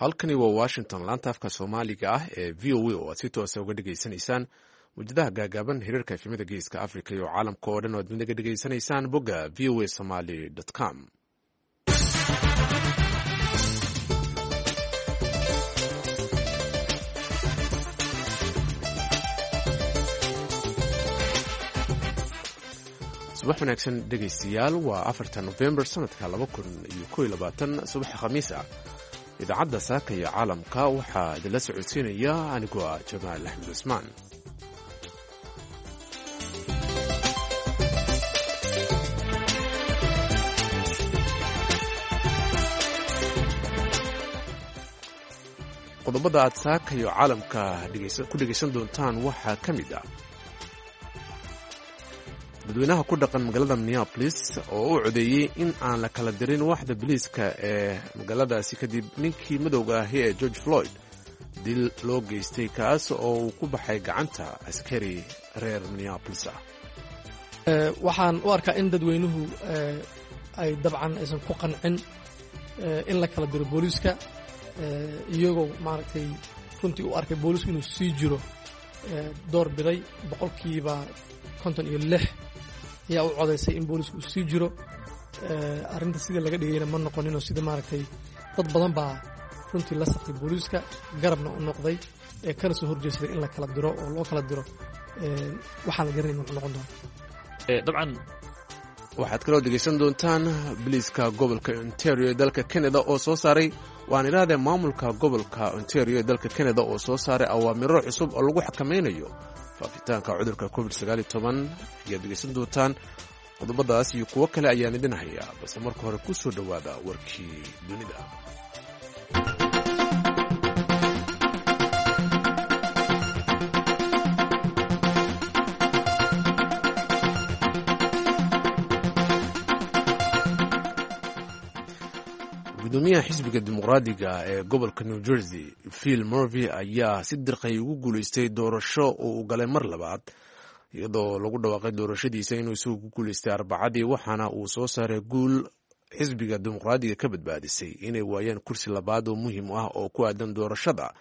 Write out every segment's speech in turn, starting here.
Halkani waa Washington, laanta afka Soomaaliga ah ee VOA, oo aad si toosa uga dhegaysanaysaan muwjadaha gaagaaban, hiriirka efemada Geeska Africa iyo caalamka oo dhan oo aad naga dhegaysanaysaan bogga voasomali com. Subax wanaagsan, dhegaystayaal. Waa 4-ta Nofembar sanadka 2021, subaxa Khamiis ah. Idaacadda Saaka iyo Caalamka waxaa idinla socodsiinaya anigoo ah Jamaal Axmed Cusmaan. Qodobada aad Saaka iyo Caalamka ku dhegaysan doontaan waxaa ka mid ah dadweynaha ku dhaqan magaalada Minneapolis oo u codeeyey in aan la kala dirin waaxda biliiska ee magaaladaasi, kadib ninkii madowga ahi ee George Floyd dil loo geystay, kaas oo uu ku baxay gacanta askari reer Minneapolis ah. Waxaan u arkaa in dadweynuhu ay dabcan aysan ku qancin in la kala diro booliiska, iyagoo maaragtay runtii u arkay booliisku inuu sii jiro door biday. 56% ayaa u codaysay in boolisku uu sii jiro. Arrinta sidii laga dhigayna ma noqoninoo sida maaragtay dad badan baa runtii la saftay booliiska, garabna u noqday, ee kana soo horjeesaday in la kala diro oo loo kala diro. Waxaan la garanayn wuxuu noqon doona. Dabcan. Waxaad kaloo dhegaysan doontaan biliiska gobolka Ontario ee dalka Canada oo soo saaray, waan idhaahdee, maamulka gobolka Ontario ee dalka Canada oo soo saaray awaamiro cusub oo lagu xakamaynayo faafitaanka cudurka COVID 19 ayaad dhegaysan doontaan. Qodobadaas iyo kuwo kale ayaan idin hayaa, balse marka hore ku soo dhowaada warkii dunida. Gudoomiyaha xisbiga Dimuqraadiga ee gobolka New Jersey, Phil Murvey, ayaa si dirqay ugu guuleystay doorasho oo uu galay mar labaad, iyadoo lagu dhawaaqay doorashadiisa inuu isagu ku guuleystay Arbacadii. Waxaana uu soo saaray guul xisbiga Dimuqraadiga ka badbaadisay inay waayaan kursi labaad oo muhiim ah oo ku aadan doorashada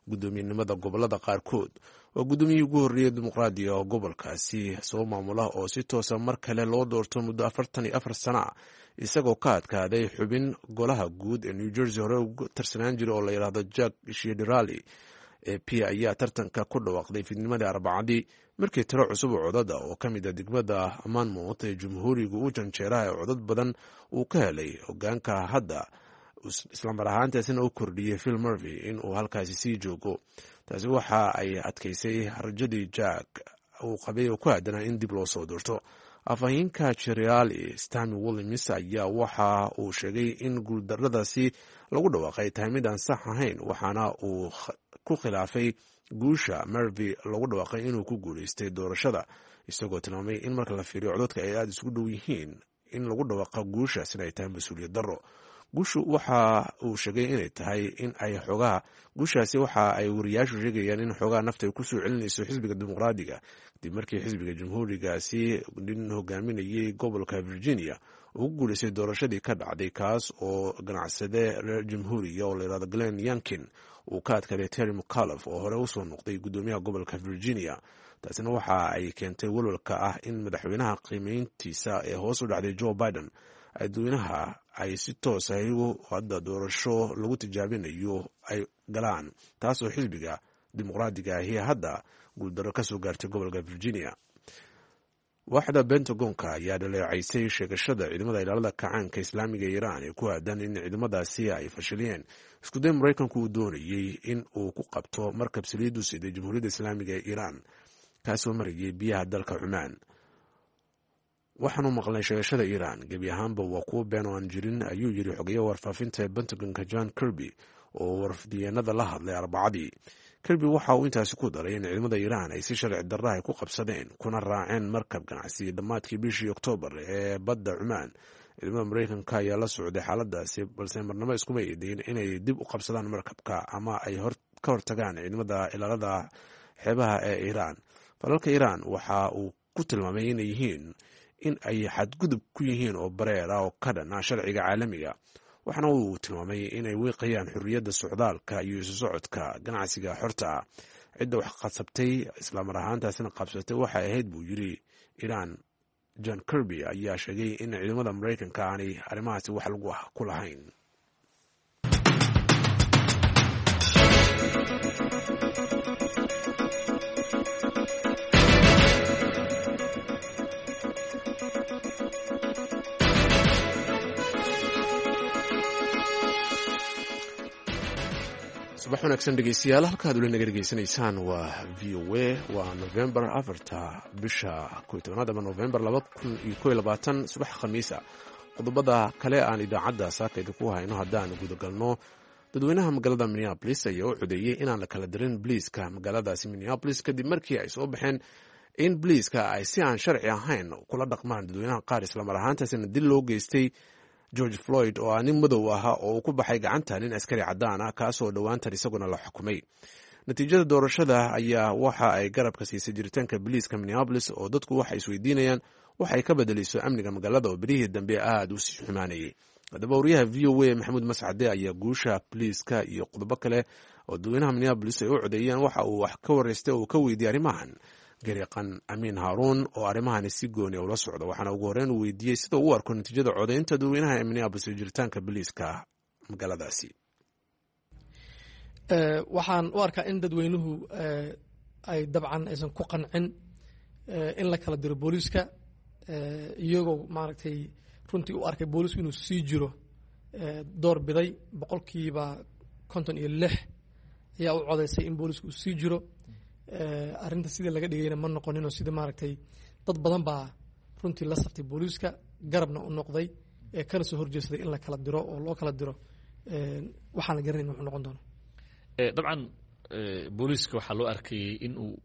guddoomiyenimada gobolada qaarkood. Waa guddoomiyihii ugu horreeyay Dimuqraadiga oo gobolkaasi soo maamula oo si toosa mar kale loo doorto muddo 44 sana ah, isagoo ka adkaaday xubin golaha guud ee New Jersey hore ugu tarsanaan jiray oo la yidhaahdo Jack Ciattarelli. AP ayaa tartanka ku dhawaaqday fiidnimadii Arbacadii, markii tiro cusub oo codada oo ka mid a degmada Monmouth ee Jumhuuriga u janjeeraha ee codad badan uu ka helay hogaanka hadda, islamar ahaantaasina u kordhiyey Phil Murvey in uu halkaasi sii joogo. Taasi waxa ay adkaysay rajadii Jack uu qabay oo ku aadanaa in dib loo soo doorto. Afhayeenka Ciattarelli, Stami Williams, ayaa waxa uu sheegay in guuldaradaasi lagu dhawaaqay tahay mid aan sax ahayn, waxaana uu ku khilaafay guusha Murvey lagu dhawaaqay inuu ku guuleystay doorashada, isagoo tilmaamay in marka la fiiriyo codadka ay aada isugu dhow yihiin, in lagu dhawaaqa guushaasina ay tahay mas-uuliyad darro. Guushu waxa uu sheegay inay tahay in ay xoogaha guushaasi, waxa ay wariyaashu sheegayaan in xoogaha nafta ay kusoo celinayso xisbiga Dimuqraadiga, kadib markii xisbiga Jamhuurigaasi nin hogaaminayay gobolka Virginia uu ku guuleystay doorashadii ka dhacday, kaas oo ganacsade reer Jamhuuriga oo layihahdo Glenn Youngkin uu ka adkaaday Terry McAuliffe oo hore usoo noqday guddoomiyaha gobolka Virginia. Taasina waxa ay keentay walwalka ah in madaxweynaha qiimeyntiisa ee hoos u dhacday, Joe Biden, dadweynaha ay si toosa iyagu hadda doorasho lagu tijaabinayo ay galaan, taas oo xisbiga Dimuqraadiga ahi hadda guuldarro ka soo gaartay gobolka Virginia. Waaxda Pentagonka ayaa dhaleecaysay sheegashada ciidamada ilaalada kacaanka Islaamiga Iiraan ee ku aadan in ciidamadaasi ay fashiliyeen iskuday Maraykanku uu doonayey in uu ku qabto markab saliid u siday Jamhuuriyadda Islaamiga ee Iiraan, kaasoo marayay biyaha dalka Cumaan. "Waxaanu maqlay sheegashada Iiraan, gebi ahaanba waa kuwo been oo aan jirin," ayuu yiri xogeyaha warfaafinta ee Pentagonka, John Kirby, oo warfidiyeenada la hadlay Arbacadii. Kirby waxa uu intaasi ku daray in ciidamada Iiraan ay si sharci darraha ku qabsadeen kuna raaceen markab ganacsi dhammaadkii bishii Oktoobar ee badda Cumaan. Ciidamada Maraykanka ayaa la socday xaaladaasi, balse marnamo iskuma eedeyn inay dib u qabsadaan markabka ama ay ka hortagaan ciidamada ilaalada xeebaha ee Iiraan. Falalka Iiraan waxa uu ku tilmaamay inay yihiin in ay xadgudub ku yihiin oo bareer ah oo ka dhan ah sharciga caalamiga. Waxaana uu tilmaamay inay wiiqayaan xorriyadda socdaalka iyo isu socodka ganacsiga xorta ah. Cidda wax qasabtay islamar ahaantaasina qabsatay waxay ahayd, buu yiri, Iiraan. John Kirby ayaa sheegay in ciidamada Maraykanka aanay arrimahaasi wax lagu ah ku lahayn. Subax wanaagsan dhegeystayaal, halkaad uli naga dhegeysanaysaan waa VOA. Waa Novembar 4-ta, bisha 11aad ama Novembar 2021, subax Khamiis ah. Qodobada kale aan idaacadda saaka idinku hayno haddaan gudagalno, dadweynaha magaalada Minneapolis ayaa u codeeyey inaan la kala dirin biliiska magaaladaasi Minneapolis, kadib markii ay soo baxeen in biliiska ay si aan sharci ahayn kula dhaqmaan dadweynaha qaar, islamar ahaantaasina dil loo geystay George Floyd oo ah nin madow ahaa oo uu ku baxay gacanta nin askari caddaan ah, kaasoo dhowaantan isaguna la xukumay. Natiijada doorashada ayaa waxa ay garabka siisay jiritaanka biliiska Minneapolis, oo dadku waxay isweydiinayaan waxay ka bedelayso amniga magaalada oo berihii dambe aada u sii xumaanayay. Haddaba, wariyaha VOA Maxamuud Mascade ayaa guusha biliiska iyo qodobo kale oo dadweynaha Minneapolis ay u codeeyeen waxa uu wax ka wareystay oo uu ka weydiiyey arrimahan garyaqan Amiin Haaruun oo arrimahani si gooni ula socda. Waxaana ugu horreyn uu weydiiyey sida uu u arko natiijada codeynta dadweynaha ee Minneapolis iyo jiritaanka biliiska magaaladaasi. Waxaan u arkaa in dadweynuhu ay dabcan aysan ku qancin in la kala diro booliiska, iyagoo maaragtay runtii u arkay booliisku inuu sii jiro door biday. 56% ayaa u codeysay in booliisku uu sii jiro. Arrinta sidii laga dhigayna ma noqoninoo sida maaragtay dad badan baa runtii la saftay booliiska, garabna u noqday, kana soo horjeesaday in la kala diro oo loo kala diro. Waxaan la garanayn wuxuu noqon doono. Dabcan booliiska waxaa loo arkayay in uu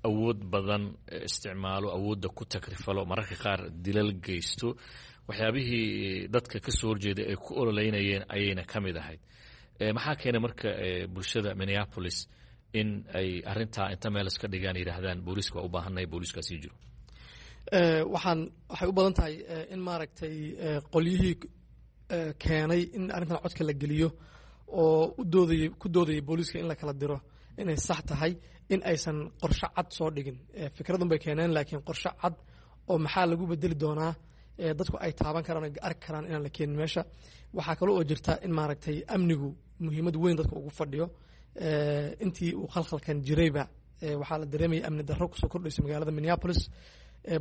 awood badan isticmaalo, awoodda ku takrifalo, mararka qaar dilal geysto. Waxyaabihii dadka ka soo horjeeday ay ku ololeynayeen ayayna ka mid ahayd. Maxaa keenay marka bulshada Minneapolis in ay arrintaa inta meel iska dhigaan yidhaahdaan booliiska waa u baahannahay, booliiskaa sii jiro? Waxay u badan tahay in maaragtay qolyihii keenay in arrintan codka la geliyo oo u doodayey, ku doodayay booliiska in la kala diro inay sax tahay, in aysan qorshe cad soo dhigin. Fikradun bay keeneen, laakiin qorshe cad oo maxaa lagu bedeli doonaa dadku ay taaban karaan o arki karaan inaan la keenin meesha. Waxaa kale oo jirta in maaragtay amnigu muhiimad weyn dadka ugu fadhiyo. Intii uu khalkhalkan jirayba waxaa la dareemayay amni darro kusoo kordhaysa magaalada Minneapolis,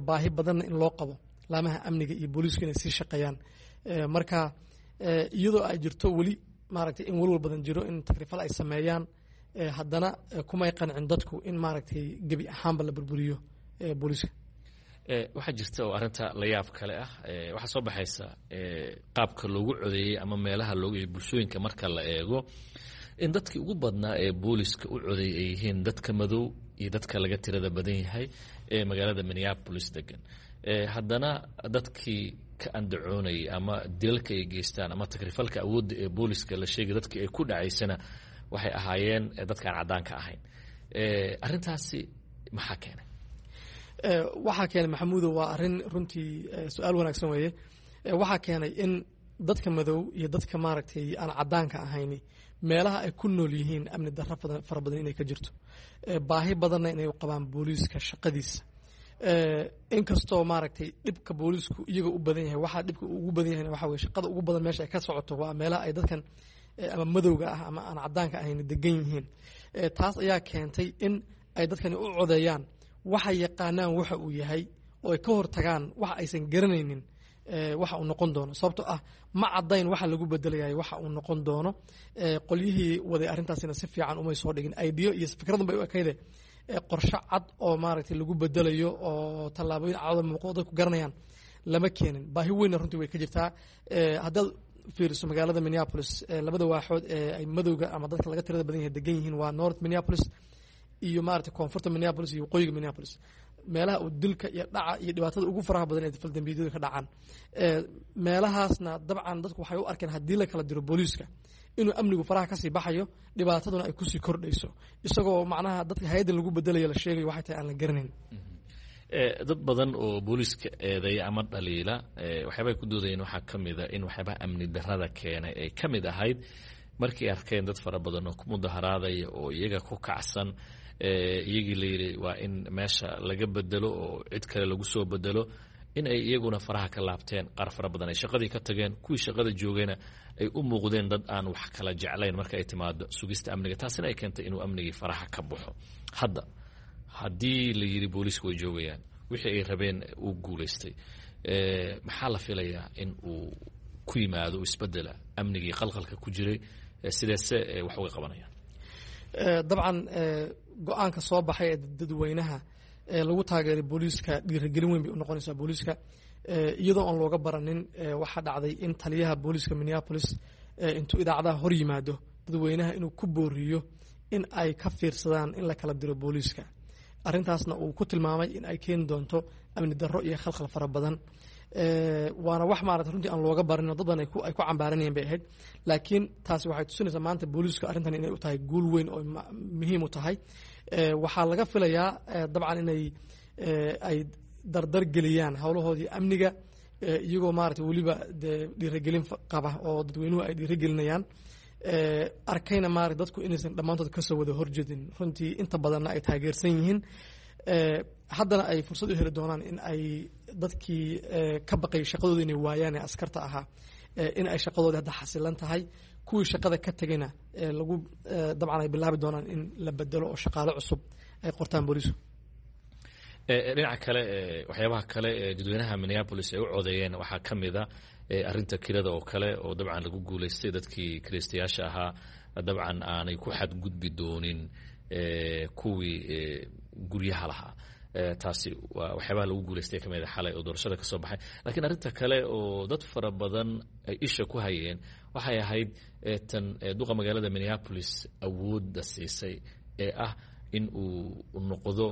baahi badanna in loo qabo laamaha amniga iyo booliisku inay sii shaqeeyaan. Marka iyadoo ay jirto weli maaragtay in walwal badan jiro in takrifal ay sameeyaan, haddana kumay qancin dadku in maaragtay gebi ahaanba la burburiyo booliiska. Waxaa jirta oo arrinta la yaab kale ah, waxaa soo baxaysa qaabka loogu codeeyey ama meelaha loogu bulshooyinka marka la eego in dadkii ugu badnaa ee booliska u codeeyay ay yihiin dadka madow iyo dadka laga tirada badan yahay ee magaalada Minneapolis degan. Haddana dadkii ka andacoonayay ama dilalka ay geystaan ama takrifalka awoodda ee booliska la sheegay dadkii ay ku dhacaysana waxay ahaayeen dadkaan caddaanka ahayn. Arrintaasi maxaa keenay? Waxaa keenay, Maxamuudo, waa arrin runtii su-aal wanaagsan weeye. Waxaa keenay in dadka madow iyo dadka maaragtay aan caddaanka ahayni meelaha ay ku nool yihiin amni darro fara badan inay ka jirto, baahi badanna inay u qabaan booliiska shaqadiisa. Inkastoo maaragtay dhibka booliisku iyaga u badan yahay, waxaa dhibka ugu badan yahay waxa weye shaqada ugu badan meesha ay ka socoto waa meelaha ay dadkan ama madowga ah ama aan caddaanka ahayn degan yihiin. Taas ayaa keentay in ay dadkani u codeeyaan waxay yaqaanaan waxa uu yahay oo ay ka hortagaan waxa aysan garanaynin waxa uu noqon doono, sababtoo ah ma caddayn waxa lagu bedelayayo waxa uu noqon doono. Qolyihii waday arrintaasina si fiican umay soo dhigin ideo iyo fikradun bay u ekayde, qorshe cad oo maaragtay lagu bedelayo oo tallaabooyin cadoo muuqdo dadku garanayaan lama keenin. Baahi weynna runtii way ka jirtaa. Haddaad fiiriso magaalada Minneapolis, labada waaxood ee ay madowga ama dadka laga tirada badan yahay degan yihiin waa North Minneapolis iyo maaragtay koonfurta Minneapolis iyo waqooyiga Minneapolis, meelaha uu dilka iyo dhaca iyo dhibaatada ugu faraha badan ee faldambiyadu ka dhacaan. Meelahaasna dabcan dadku waxay u arkeen haddii la kala diro booliiska inuu amnigu faraha kasii baxayo, dhibaataduna ay kusii kordhayso, isagoo macnaha dadka hay-addan lagu bedelayo la sheegayo waxay tahay aan la garanayn. Dad badan oo booliiska eedeeya ama dhaliila waxyaabahay ku doodayeen waxaa ka mid a in waxyaabaha amni darrada keenay ay ka mid ahayd markay arkeen dad fara badan oo ku mudaharaadaya oo iyaga ku kacsan, iyagii la yidhi waa in meesha laga bedelo oo cid kale lagu soo bedelo, in ay iyaguna faraha ka laabteen, qaar fara badan ay shaqadii ka tageen, kuwii shaqada joogayna ay u muuqdeen dad aan wax kala jeclayn marka ay timaado sugista amniga, taasina ay keentay inuu amnigii faraha ka baxo. Hadda haddii la yidhi booliisku way joogayaan, wixii ay rabeen uu guulaystay, maxaa la filayaa in uu ku yimaado isbedela amnigii qalqalka ku jiray? Sideese wax uga qabanayaan? Dabcan, go-aanka soo baxay ee dadweynaha ee lagu taageeray booliiska dhiirigelin weyn bay u noqonaysaa booliiska, iyadoo aan looga baranin. Waxaa dhacday in taliyaha booliiska Minneapolis intuu idaacadaha hor yimaado dadweynaha inuu ku booriyo in ay ka fiirsadaan in la kala diro booliiska, arrintaasna uu ku tilmaamay in ay keeni doonto amni darro iyo khalkhal fara badan. Waana wax maarata runtii aan looga barin oo dad badan ay ku cambaaranayeen bay ahayd, laakiin taasi waxay tusinaysaa maanta booliisku arrintan inay u tahay guul weyn oo muhiim u tahay. Waxaa laga filayaa dabcan inay ay dardar geliyaan howlahoodii amniga, iyagoo maarata weliba dee dhiirigelin qaba oo dadweynuhu ay dhiirigelinayaan, arkayna maarata dadku inaysan dhammaantood kasoo wada horjedin, runtii inta badanna ay taageersan yihiin. Haddana ay fursad u heli doonaan in ay dadkii ka baqay shaqadooda inay waayaan ee askarta ahaa in ay shaqadoodii hadda xasilan tahay, kuwii shaqada ka tegayna lagu dabcan ay bilaabi doonaan in la bedelo oo shaqaale cusub ay qortaan booliisku. Dhinaca kale, waxyaabaha kale ee dadweynaha Minneapolis ay u codeeyeen waxaa ka mid a arrinta kirada oo kale, oo dabcan lagu guulaystay dadkii kiraystayaasha ahaa dabcan aanay ku xadgudbi doonin kuwii guryaha lahaa. Taasi waa waxyaabaha lagu guulaystay ka mid a xalay oo doorashada ka soo baxay. Laakiin arrinta kale oo dad fara badan ay isha ku hayeen waxay ahayd tan duqa magaalada Minneapolis awoodda siisay ee ah in uu noqdo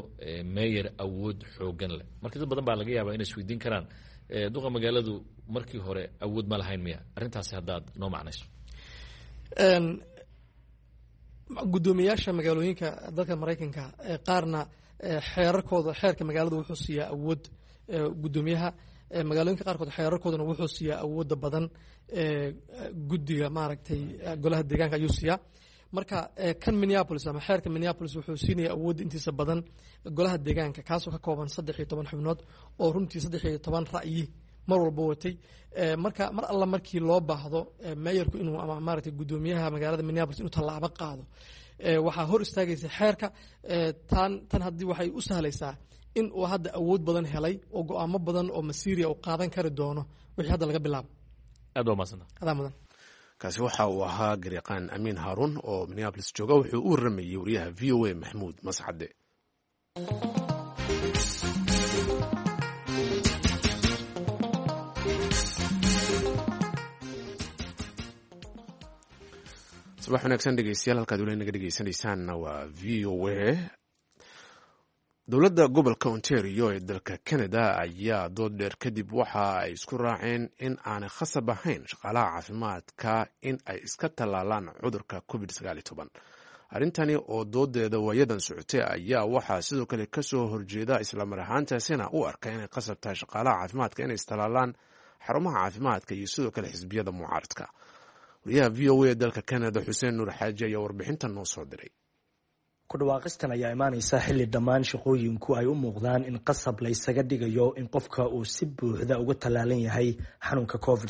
meyer awood xoogan leh. Marka dad badan baa laga yaabaa inay isweydiin karaan, duqa magaaladu markii hore awood ma lahayn miya? Arrintaasi haddaad noo macnayso. Guddoomiyaasha magaalooyinka dalka Maraykanka qaarna xeerarkooda, xeerka magaaladu wuxuu siiyaa awood guddoomiyaha magaalooyinka qaarkood, xeerarkooduna wuxuu siiyaa awoodda badan guddiga maaragtay golaha deegaanka ayuu siiyaa. Marka kan Minneapolis ama xeerka Minneapolis wuxuu siinaya awoodda intiisa badan golaha deegaanka, kaasoo ka kooban 13 xubnood oo runtii 13 ra'yi mar walba watay. Marka mar alla markii loo baahdo meeyarku inuu ama maaragtay guddoomiyaha magaalada Minneapolis inuu tallaabo qaado, waxaa hor istaagaysa xeerka. Tan haddii waxay u sahlaysaa in uu hadda awood badan helay oo go-aamo badan oo masiiriya uu qaadan kari doono wixii hadda laga bilaabo. Aad waa mahadsanta. Adaa mudan. Kaasi waxa uu ahaa garyaqaan Amiin Haaruun oo Minneapolis jooga. Wuxuu u warramayey wariyaha VOA Maxamuud Mascade. Subax wanaagsan dhegeystayaal, halkaad weli naga dhegeysanaysaanna waa VOA. Dowladda gobolka Ontario ee dalka Canada ayaa dood dheer kadib waxa ay isku raaceen in aanay khasab ahayn shaqaalaha caafimaadka in ay iska tallaalaan cudurka COVID. Arrintani oo doodeeda waayadan socotay ayaa waxaa sidoo kale kasoo horjeeda, islamar ahaantaasina u arka inay khasab tahay shaqaalaha caafimaadka inay istallaalaan, xarumaha caafimaadka iyo sidoo kale xisbiyada mucaaradka. Wariyaha VOA ee dalka Canada Xuseen Nuur Xaaji ayaa warbixintan noo soo diray. Kudhawaaqistan ayaa imaaneysa xilli dhammaan shaqooyinku ay u muuqdaan in qasab la ysaga dhigayo in qofka uu si buuxda uga tallaalan yahay xanuunka COVID.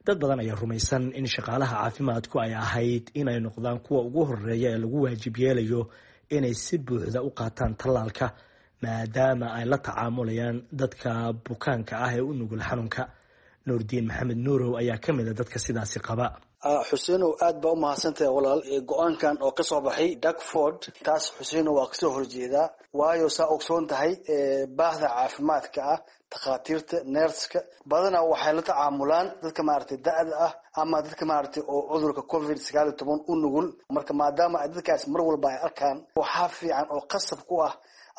Dad badan ayaa rumaysan in shaqaalaha caafimaadku ay ahayd inay noqdaan kuwa ugu horeeya ee lagu waajib yeelayo inay si buuxda u qaataan tallaalka, maadaama ay la tacaamulayaan dadka bukaanka ah ee u nugul xanuunka. Nuurdiin Maxamed Nuurow ayaa ka mid a dadka sidaasi qaba. Xuseenow, aad baa u mahadsantahay walaal. Go-aankan oo kasoo baxay Darkford, taas Xuseenow waa kasoo horjeedaa, waayo saa ogsoon tahay baahda caafimaadka ah, takhaatiirta, neerska badanaa waxay la tacaamulaan dadka maaragtay da-da ah ama dadka maaragtay oo cudurka COVID-19 u nugul. Marka maadaama ay dadkaas mar walba ay arkaan, waxaa fiican oo qasab ku ah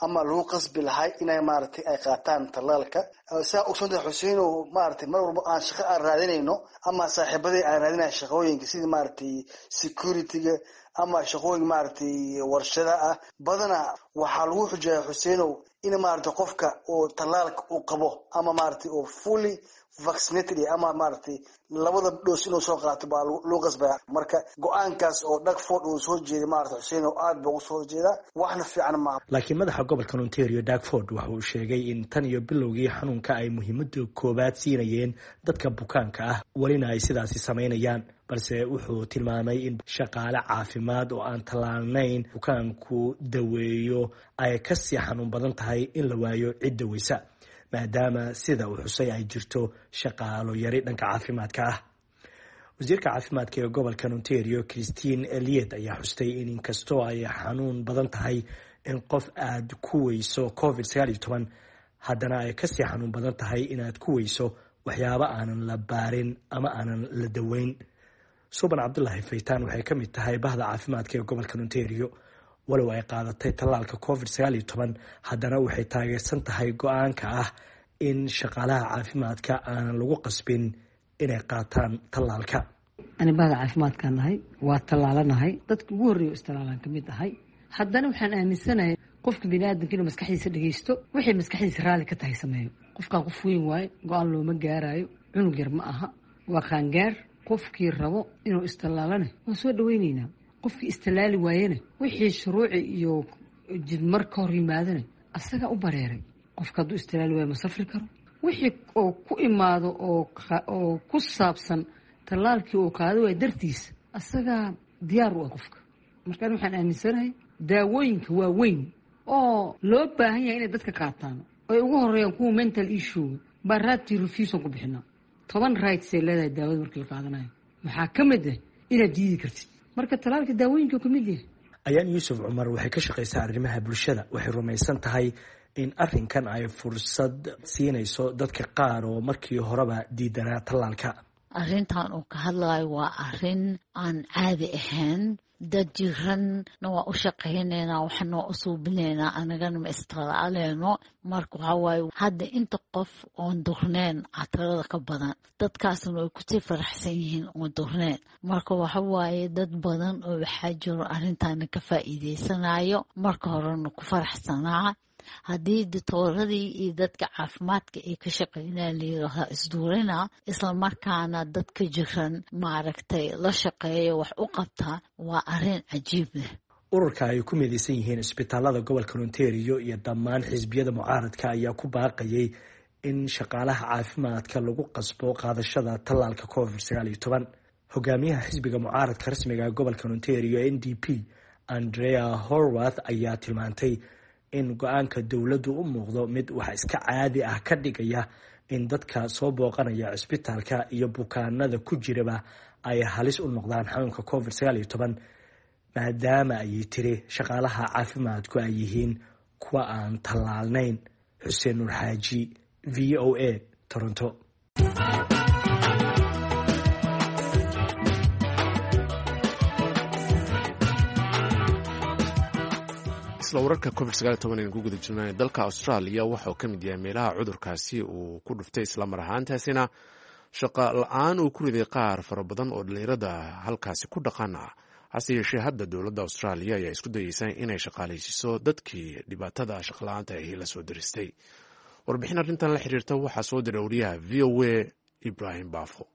Ama lagu qasbi lahay inay maaragtay ay qaataan tallaalka. Saa ogsoontahay, Xuseinow, maaragtay mar walba aan shaqo aan raadinayno ama saaxiibadii aan raadinayo shaqooyinka sidii maaragtay security-ga ama shaqooyin maaragtay warshada ah, badanaa waxaa lagu xujeeya, Xuseinow, in maaragtay qofka uu tallaalka uu qabo ama maaragtay uu fully vaccinated ama maaragtay labada dose inuu soo qaato baa lagu qasbaya. Marka go-aankaas oo Doug Ford uu soo jeeday, maaragtay Xuseinow, aad baa ugu soo horjeedaa, waxna fiican maaha. Laakiin madaxa gobolka Ontario, Doug Ford, waxa uu sheegay in tan iyo bilowgii xanuunka ay muhiimada koowaad siinayeen dadka bukaanka ah, welina ay sidaasi samaynayaan. Balse wuxuu tilmaamay in shaqaale caafimaad oo aan tallaalnayn bukaanku daweeyo ay kasii xanuun badan tahay in la waayo cid daweysa, maadaama sida uu xusay ay jirto shaqaalo yari dhanka caafimaadka ah. Wasiirka caafimaadka ee gobolka Ontario, Christine Elliott, ayaa xustay in inkastoo ay xanuun badan tahay in qof aad ku weyso COVID-19, haddana ay kasii xanuun badan tahay inaad ku weyso waxyaabo aanan la baarin ama aanan la daweyn. Suban Cabdulaahi Faytaan waxay ka mid tahay bahda caafimaadka ee gobolka Ontario. Walow ay qaadatay tallaalka COVID-19, haddana waxay taageersan tahay go-aanka ah in shaqaalaha caafimaadka aanan lagu qasbin inay qaataan tallaalka. Ani bahda caafimaadkaan nahay, waa tallaalanahay, dadka ugu horreeya istallaalaan ka mid ahay. Haddana waxaan aaminsanahay qofka biniaadanka inuu maskaxdiisa dhegeysto, wixii maskaxdiisa raalli ka tahay sameeyo. Qofkaan qof weyn waaye, go-aan looma gaaraayo, cunug yar ma aha, waa qaangaar. Qofkii rabo inuu istallaalana waan soo dhaweyneynaa, qofkii istallaali waayena wixii shuruuci iyo jidmar ka hor yimaadana asagaa u bareeray. Qofka hadduu istallaali waayo ma safri karo. Wixii oo ku imaado oo ku saabsan tallaalkii uu qaado waaya dartiis, asagaa diyaar u ah qofka. Markaan waxaan aaminsanahay daawooyinka waaweyn oo loo baahan yahay inay dadka qaataan, ay ugu horeeyaan kuwa mental issue baa right to refuse ku bixinaa. 10 rights ay leedahay daawada markii la qaadanayo, maxaa ka mid ah inaad diidi kartid. Marka tallaalka daawooyinka ka mid yahay. Ayaan Yuusuf Cumar waxay ka shaqaysaa arrimaha bulshada. Waxay rumaysan tahay in arrinkan ay fursad siinayso dadka qaar oo markii horeba diidanaa tallaalka. Arrintan uu ka hadlayo waa arrin aan caadi ahayn. Dad jiranna waa u shaqaynaynaa, waxna waa u suubinaynaa, anagana ma istalaaleyno. Marka waxaa waaye hadda inta qof oon durneen catarada ka badan, dadkaasna way kusii faraxsan yihiin oon durneen. Marka waxa waaye dad badan oo waxaa jiro arrintaana ka faa'iideysanayo, marka horena ku faraxsanaa. Haddii ditooradii iyo dadka caafimaadka ay ka shaqeynaya layiraahdaa isduurina, islamarkaana dadka jiran maaragtay la shaqeeya wax u qabta, waa arrin cajiib leh. Ururka ay ku midaysan yihiin isbitaalada gobolka Ontario iyo dhammaan xisbiyada mucaaradka ayaa ku baaqayay in shaqaalaha caafimaadka lagu qasbo qaadashada tallaalka COVID-19. Hogaamiyaha xisbiga mucaaradka rasmiga ee gobolka Ontario, NDP, Andrea Horwath, ayaa tilmaantay in go-aanka dowladdu u muuqdo mid wax iska caadi ah ka dhigaya in dadka soo booqanaya cisbitaalka iyo bukaanada ku jiraba ay halis u noqdaan xanuunka COVID-19, maadaama ayay tiri shaqaalaha caafimaadku ay yihiin kuwa aan tallaalnayn. Xuseen Nuur Xaaji, VOA, Toronto. Isla wararka COVID aynu ku guda jirnay, dalka Australia waxauu ka mid yahay meelaha cudurkaasi uu ku dhuftay, islamar ahaantaasina shaqa la-aan uu ku riday qaar fara badan oo dhalinyarada halkaasi ku dhaqan ah. Hase yeeshee hadda dowladda Australia ayaa isku dayeysa inay shaqaalaysiiso dadkii dhibaatada shaqala-aanta ahi la soo diristay. Warbixin arrintan la xiriirta waxaa soo diray wariyaha VOA, Ibraahim Baafo.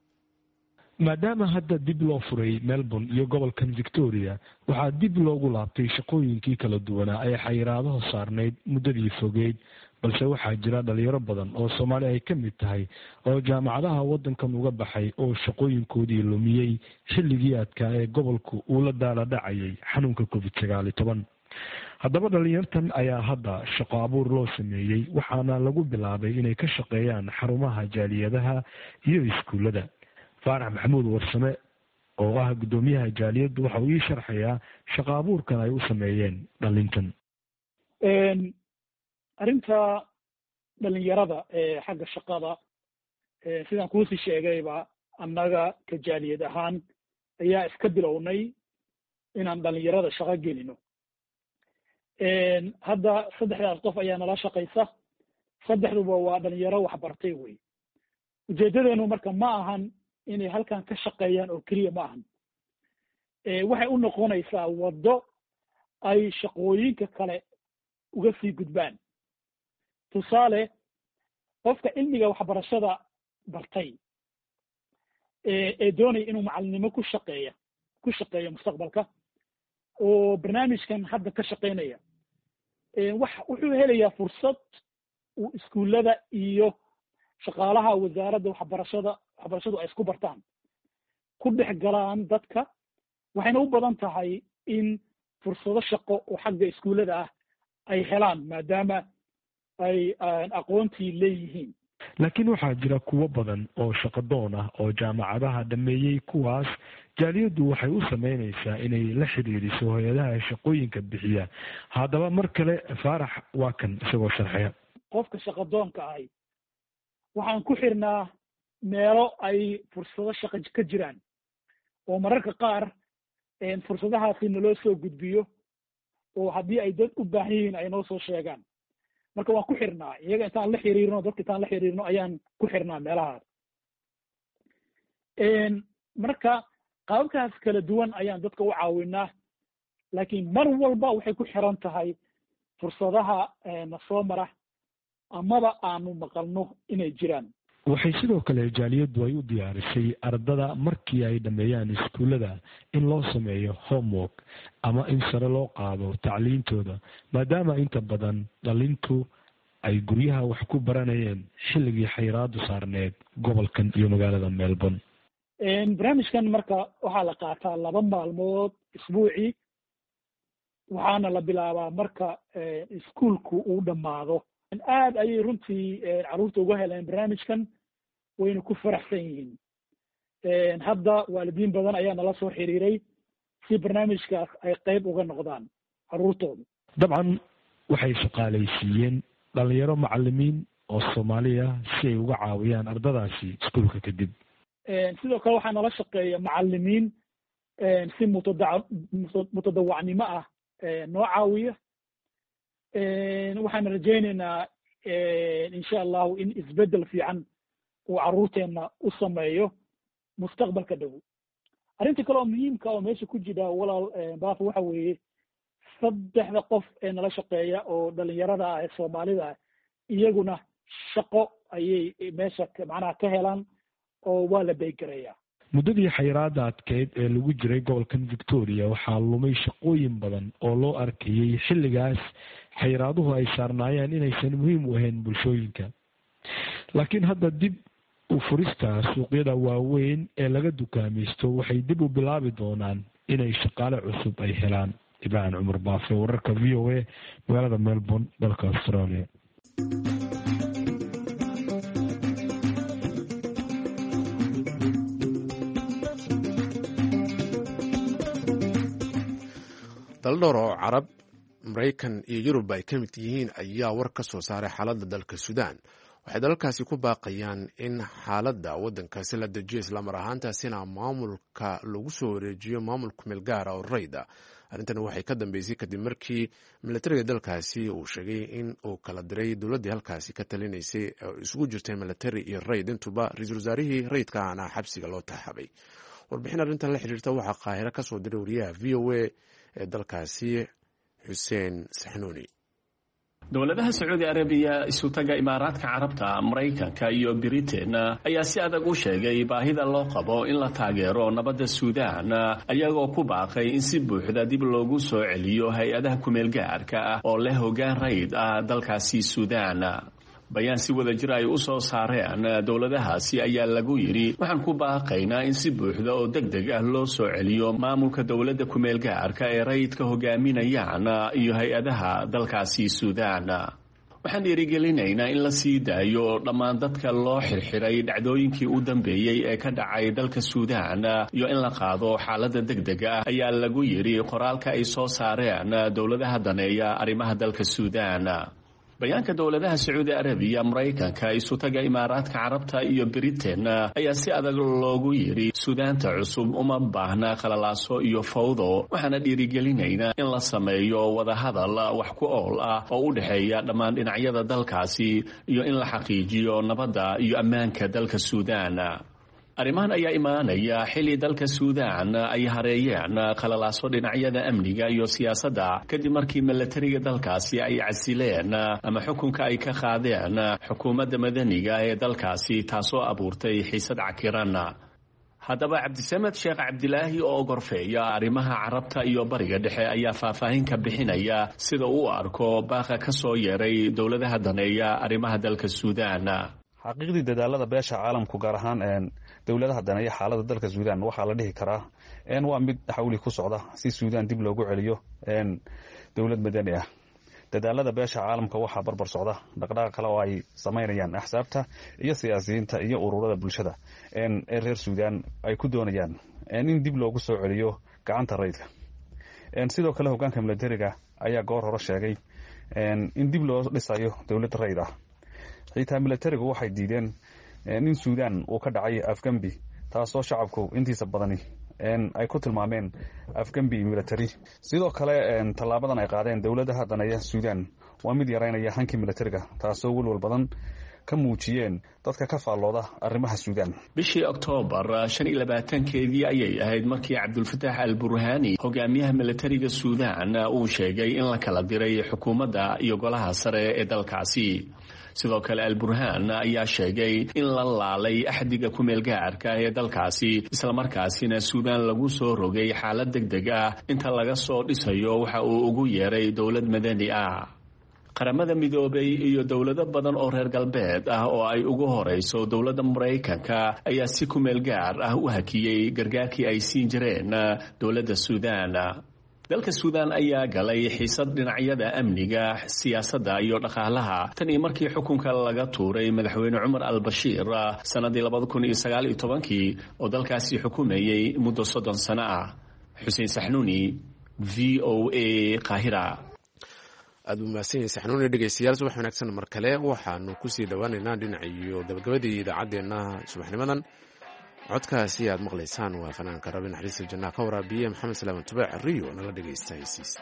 Maadaama hadda dib loo furay Melbourne iyo gobolkan Victoria, waxaa dib loogu laabtay shaqooyinkii kala duwanaa ee xayiraadaha saarnayd muddadii fogeyd. Balse waxaa jira dhalinyaro badan oo Soomaali ay ka mid tahay oo jaamacadaha waddankan uga baxay oo shaqooyinkoodii lumiyey xilligii adkaa ee gobolku uu la daala dhacayay xanuunka COVID-19. Haddaba dhalinyartan ayaa hadda shaqo abuur loo sameeyey, waxaana lagu bilaabay inay ka shaqeeyaan xarumaha jaaliyadaha iyo iskuullada. Faarax Maxamuud Warsame oo ah guddoomiyaha jaaliyaddu waxa uu ii sharxayaa shaqo abuurkan ay u sameeyeen dhalintan. Arrinta dhalinyarada ee xagga shaqada, sidaan kuusii sheegayba, annaga ka jaaliyad ahaan ayaa iska bilownay inaan dhalinyarada shaqo gelino. Hadda saddexdaas qof ayaa nala shaqaysa, saddexduba waa dhalinyaro waxbartay wey. Ujeedadeenu marka ma ahan inay halkan ka shaqeeyaan oo keliya ma ahan, waxay u noqonaysaa waddo ay shaqooyinka kale uga sii gudbaan. Tusaale, qofka cilmiga waxbarashada bartay ee doonaya inuu macalinimo ku shaqeeyo mustaqbalka, oo barnaamijkan hadda ka shaqeynaya, wax wuxuu helayaa fursad uu iskuullada iyo shaqaalaha wasaaradda waxbarashadu ay isku bartaan, ku dhex galaan dadka. Waxayna u badan tahay in fursado shaqo oo xagga iskuullada ah ay helaan, maadaama ay aqoontii leeyihiin. Laakiin waxaa jira kuwo badan oo shaqadoon ah oo jaamacadaha dhammeeyey. Kuwaas jaaliyaddu waxay u sameynaysaa inay la xidhiiriso hay-adaha shaqooyinka bixiya. Haddaba mar kale Faarax waa kan isagoo sharxaya. Qofka shaqadoonka ahi, waxaan ku xirnaa meelo ay fursado shaqo ka jiraan, oo mararka qaar fursadahaasi naloo soo gudbiyo, oo haddii ay dad u baahan yihiin ay noo soo sheegaan. Marka waan ku xirnaa iyaga, intaan la xiriirno dadka, intaan la xiriirno ayaan ku xirnaa meelahaas. Marka qaababkaas kala duwan ayaan dadka u caawinaa, laakiin mar walba waxay ku xiran tahay fursadaha na soo mara amaba aanu maqalno inay jiraan. Waxay sidoo kale jaaliyaddu ay u diyaarisay ardada markii ay dhammeeyaan iskuullada in loo sameeyo homework ama in sare loo qaado tacliintooda, maadaama inta badan dhalintu ay guryaha wax ku baranayeen xilligii xayiraadu saarneed gobolkan iyo magaalada Melbourne. Barnaamijkan marka waxaa la qaataa 2 maalmood isbuucii, waxaana la bilaabaa marka iskuulku uu dhammaado. Aad ayay runtii carruurta uga heleen barnaamijkan, wayna ku faraxsan yihiin. Hadda waalidiin badan ayaa nala soo xiriiray si barnaamijkaas ay qayb uga noqdaan carruurtooda. Dabcan waxay shaqaalaysiiyeen dhalinyaro macalimiin oo Soomaaliya si ay uga caawiyaan ardadaasi iskuulka kadib. Sidoo kale waxaa nala shaqeeya macalimiin si mutadawacnimo ah noo caawiya. Waxaan rajaynaynaa insha Allahu in isbeddel fiican uu carruurteenna u sameeyo mustaqbalka dhow. Arrinta kale oo muhiimka oo meesha ku jira, walaal Baafo, waxa weeye saddexda qof ee nala shaqeeya oo dhalinyarada ah ee Soomaalida ah, iyaguna shaqo ayay meesha macnaha ka helaan oo waa la beygarayaa. Muddadii xayiraada adkeyd ee lagu jiray gobolkan Victoria waxaa lumay shaqooyin badan oo loo arkayey xilligaas xayraaduhu ay saarnaayeen inaysan muhiim u ahayn bulshooyinka. Laakiin hadda dib u furista suuqyada waaweyn ee laga dukaamaysto waxay dib u bilaabi doonaan inay shaqaale cusub ay helaan. Ibrahim Cumar Baafe, wararka VOA, magaalada Melbourne, dalka Australia. Dal dhowr oo Carab, Maraykan iyo Yurub ay ka mid yihiin ayaa war ka soo saaray xaaladda dalka Suudaan. Waxay dalalkaasi ku baaqayaan in xaaladda waddankaasi la dejiyo, islamar ahaantaasina maamulka lagu soo wareejiyo maamul kumeel gaara oo rayda. Arrintan waxay ka dambeysay kadib markii milatariga dalkaasi uu sheegay in uu kala diray dowladdii halkaasi ka talinaysay oo isugu jirtay milatari iyo rayd intuba, ra-iisul wasaarihii rayidka ahna xabsiga loo taxabay. Warbixin arrintan la xiriirta waxaa Qaahiro ka soo diray wariyaha VOA ee dalkaasi, Xuseen Saxnuuni. Dowladaha Sacuudi Arabiya, Isutaga Imaaraadka Carabta, Maraykanka iyo Britain ayaa si adag u sheegay baahida loo qabo in la taageero nabadda Suudaan, ayagoo ku baaqay in si buuxda dib loogu soo celiyo hay-adaha kumeelgaarka ah oo leh hoggaan rayid ah dalkaasi Suudaan. Bayaan si wada jir ay u soo saareen dowladahaasi ayaa lagu yidhi: "Waxaan ku baaqaynaa in si buuxda oo deg deg ah loo soo celiyo maamulka dowladda kumeelgaarka ee rayidka hogaaminayaan iyo hay-adaha dalkaasi Suudaan. Waxaan dhiirigelinaynaa in la sii daayo dhammaan dadka loo xirxiray dhacdooyinkii u dambeeyey ee ka dhacay dalka Suudaan iyo in la qaado xaaladda deg dega ah," ayaa lagu yidhi qoraalka ay soo saareen dowladaha daneeya arrimaha dalka Suudaan. Bayaanka dowladaha Sacuudi Arabiya, Maraykanka, isutaga Imaaraadka Carabta iyo Britain ayaa si adag loogu yidhi Suudaanta cusub uma baahna qalalaaso iyo fawdo, waxaana dhiirigelinaynaa in la sameeyo wadahadal wax ku ool ah oo u dhexeeya dhammaan dhinacyada dalkaasi iyo in la xaqiijiyo nabadda iyo ammaanka dalka Suudaan. Arrimahan ayaa imaanaya xilli dalka Suudaan ay hareeyeen qalalaaso dhinacyada amniga iyo siyaasadda, kadib markii milatariga dalkaasi ay casileen ama xukunka ay ka qaadeen xukuumadda madaniga ee dalkaasi, taasoo abuurtay xiisad cakiran. Haddaba Cabdisamed Sheekh Cabdilaahi oo gorfeeya arrimaha Carabta iyo Bariga Dhexe ayaa faahfaahin ka bixinaya sida uu arko baaqa ka soo yeeray dowladaha daneeya arrimaha dalka Suudaan. Xaqiiqdii, dadaalada beesha caalamku, gaar ahaan dowladaha daneeya xaalada dalka Suudaan, waxaa la dhihi karaa waa mid xawli ku socda si Suudaan dib loogu celiyo dowlad madani ah. Dadaalada beesha caalamka waxaa barbar socda dhaqdhaqaaq kale oo ay samaynayaan axsaabta iyo siyaasiyiinta iyo ururada bulshada ee reer Suudaan ay ku doonayaan in dib loogu soo celiyo gacanta rayidka. Sidoo kale, hogaanka milatariga ayaa goor hore sheegay in dib loo dhisayo dowlad rayid ah. Xitaa milatarigu waxay diideen in Suudaan uu ka dhacay afgembi, taasoo shacabku intiisa badani ay ku tilmaameen afgembi milatari. Sidoo kale, tallaabadan ay qaadeen dowladaha daneeya Suudaan waa mid yaraynaya hankii milatariga, taasoo welwal badan ka muujiyeen dadka ka faallooda arrimaha Suudaan. Bishii Oktoobar 25-keedii ayay ahayd markii Cabdulfataax al Burhaani, hogaamiyaha milatariga Suudaan, uu sheegay in la kala diray xukuumadda iyo golaha sare ee dalkaasi. Sidoo kale, al Burhaan ayaa sheegay in la laalay axdiga kumeelgaarka ee dalkaasi, islamarkaasina Suudaan lagu soo rogay xaalad deg deg ah inta laga soo dhisayo waxa uu ugu yeeray dowlad madani ah. Qaramada Midoobay iyo dowlado badan oo reer galbeed ah oo ay ugu horeyso dowladda Maraykanka ayaa si kumeel gaar ah u hakiyey gargaarkii ay siin jireen dowladda Suudaan. Dalka Suudaan ayaa galay xiisad dhinacyada amniga, siyaasadda iyo dhaqaalaha tan iyo markii xukunka laga tuuray madaxweyne Cumar al Bashiir sanadii 2019-kii oo dalkaasi xukumayey muddo 30 sano ah. Xuseen Saxnuuni, VOA, Qaahira. Aad buu mahadsan yahay Saxnuuni. Dhegeystayaal, subax wanaagsan mar kale. Waxaanu kusii dhowaaneynaa dhinaciyo gabagabadii idaacaddeenna subaxnimadan. Codkaasi aad maqlaysaan waa fanaanka Rabi naxariista jannaha ka waraabiye Maxamed Salaaman Tubaac Riyo. Nala dhegeysta heysiisa.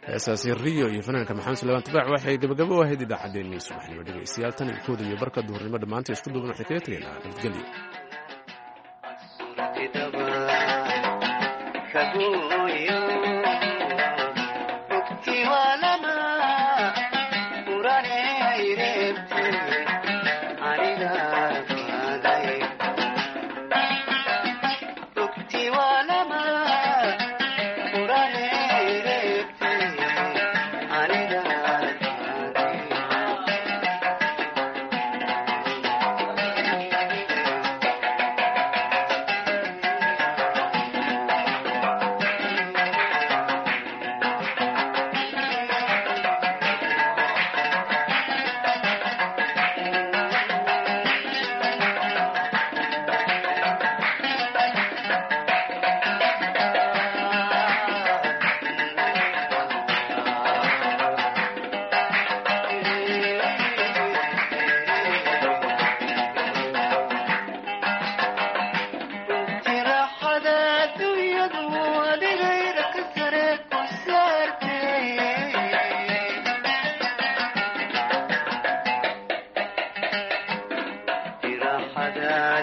Heesaasi Riyo iyo fanaanka Maxamed Suleymaan Tubaac waxay gabagabo u ahayd idaacaddeenii subaxnimo. Dhegeystayaal, tan iyo kooda iyo barka duhurnimo dhammaanta isku duuban waxay kaga tegaynaa nabadgelyo.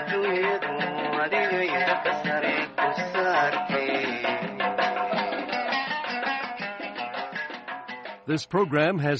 Adduunyadu adigay xagga sare ku saartay. This program has